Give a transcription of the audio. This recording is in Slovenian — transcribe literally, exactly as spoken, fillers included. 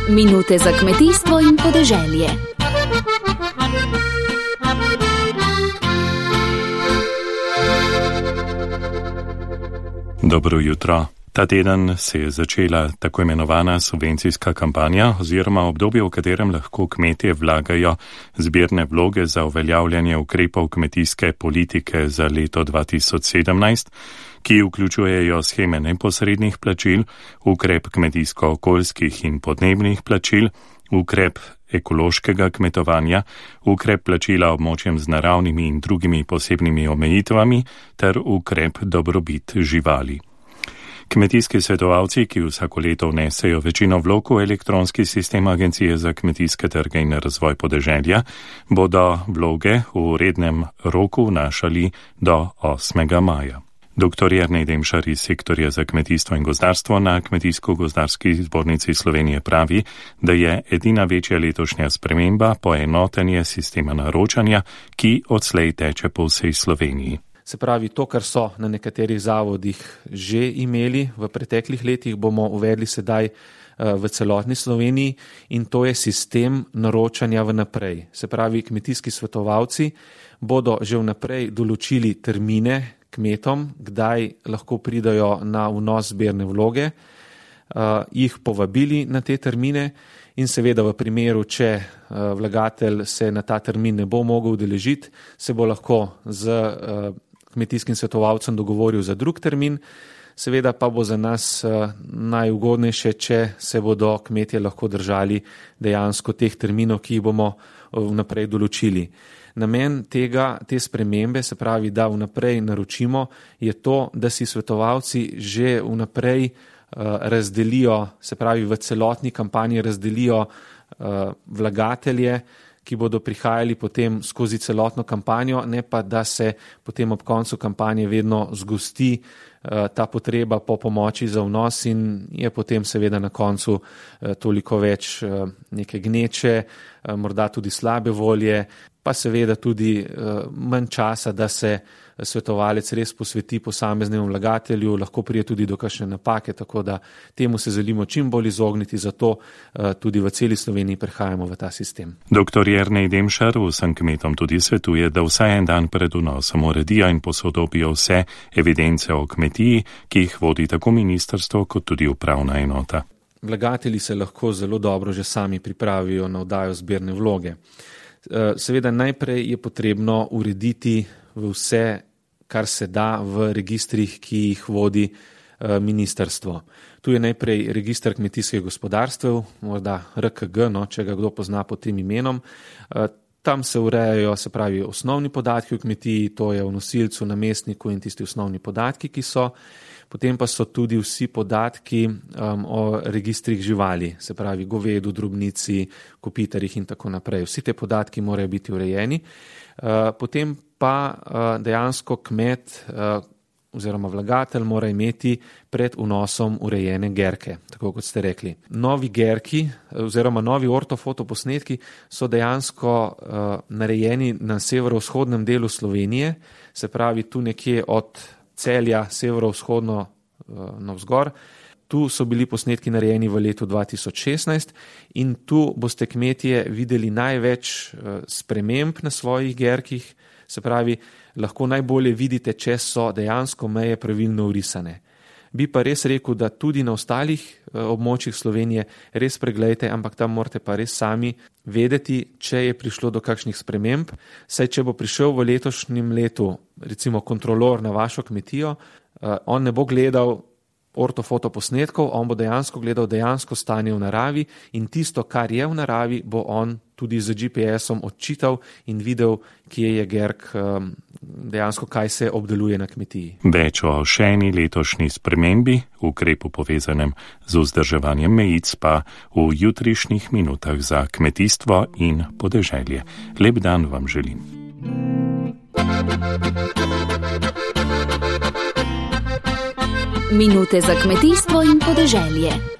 Minute za kmetijstvo in podeželje. Dobro jutro. Ta teden se je začela tako imenovana subvencijska kampanja oziroma obdobje, v katerem lahko kmetje vlagajo zbirne vloge za uveljavljanje ukrepov kmetijske politike za leto dva tisoč sedemnajst, ki vključujejo sheme neposrednih plačil, ukrep kmetijsko-okoljskih in podnebnih plačil, ukrep ekološkega kmetovanja, ukrep plačila območjem z naravnimi in drugimi posebnimi omejitvami ter ukrep dobrobit živali. Kmetijski svetovalci, ki vsako leto vnesejo večino vlog v elektronski sistem Agencije za kmetijske trge in razvoj podeželja, bodo vloge v rednem roku vnašali do osmega maja. Doktor Jernej Demšar iz sektorja za kmetijstvo in gozdarstvo na Kmetijsko-gozdarski zbornici Slovenije pravi, da je edina večja letošnja sprememba poenotenje sistema naročanja, ki odslej teče po vsej Sloveniji. Se pravi, to, kar so na nekaterih zavodih že imeli v preteklih letih, bomo uvedli sedaj v celotni Sloveniji in to je sistem naročanja vnaprej. Se pravi, kmetijski svetovalci bodo že vnaprej določili termine kmetom, kdaj lahko pridajo na vnos zbirne vloge, jih povabili na te termine in seveda v primeru, če vlagatelj se na ta termin ne bo mogel udeležiti, se bo lahko z kmetijskim svetovalcem dogovoril za drug termin, seveda pa bo za nas najugodnejše, če se bodo kmetje lahko držali dejansko teh terminov, ki jih bomo vnaprej določili. Namen tega, te spremembe, se pravi, da vnaprej naročimo, je to, da si svetovalci že vnaprej razdelijo, se pravi, v celotni kampanji razdelijo vlagatelje, ki bodo prihajali potem skozi celotno kampanjo, ne pa da se potem ob koncu kampanje vedno zgosti ta potreba po pomoči za vnos in je potem seveda na koncu toliko več neke gneče, morda tudi slabe volje, pa seveda tudi manj časa, da se svetovalec res posveti posameznemu vlagatelju, lahko prije tudi do kakšne napake, tako da temu se želimo čim bolj izogniti, zato tudi v celi Sloveniji prehajamo v ta sistem. Doktor Jernej Demšar vsem kmetom tudi svetuje, da vsaj en dan pred vnosom uredijo in posodobijo vse evidence o kmetiji, ki jih vodi tako ministrstvo kot tudi upravna enota. Vlagatelji se lahko zelo dobro že sami pripravijo na oddajo zbirne vloge. Seveda najprej je potrebno urediti vse, kar se da v registrih, ki jih vodi ministrstvo. Tu je najprej registr kmetijskih gospodarstev, morda R K G, no, če ga kdo pozna pod tem imenom. Tam se urejajo, se pravi, osnovni podatki v kmetiji, to je o nosilcu, namestniku in tisti osnovni podatki, ki so. Potem pa so tudi vsi podatki um, o registrih živali, se pravi govedu, drobnici, kopitarjih in tako naprej. Vsi te podatki morajo biti urejeni. Uh, potem pa uh, dejansko kmet uh, oziroma vlagatelj mora imeti pred vnosom urejene gerke, tako kot ste rekli. Novi gerki oziroma novi ortofotoposnetki so dejansko uh, narejeni na severovzhodnem delu Slovenije, se pravi tu nekje od Celja severovzhodno navzgor. Tu so bili posnetki narejeni v letu dva tisoč šestnajst in tu boste kmetje videli največ sprememb na svojih gerkih, se pravi, lahko najbolje vidite, če so dejansko meje pravilno vrisane. Bi pa res rekel, da tudi na ostalih območjih Slovenije res preglejte, ampak tam morate pa res sami vedeti, če je prišlo do kakšnih sprememb, saj če bo prišel v letošnjem letu, recimo kontrolor na vašo kmetijo, on ne bo gledal ortofoto posnetkov, on bo dejansko gledal dejansko stanje v naravi in tisto, kar je v naravi, bo on tudi z G P S-om odčital in videl, kje je gerk, dejansko kaj se obdeluje na kmetiji. Več o še eni letošnji spremembi, ukrepu povezanem z vzdrževanjem mejic pa v jutrišnjih minutah za kmetijstvo in podeželje. Lep dan vam želim. Minute za kmetijstvo in podeželje.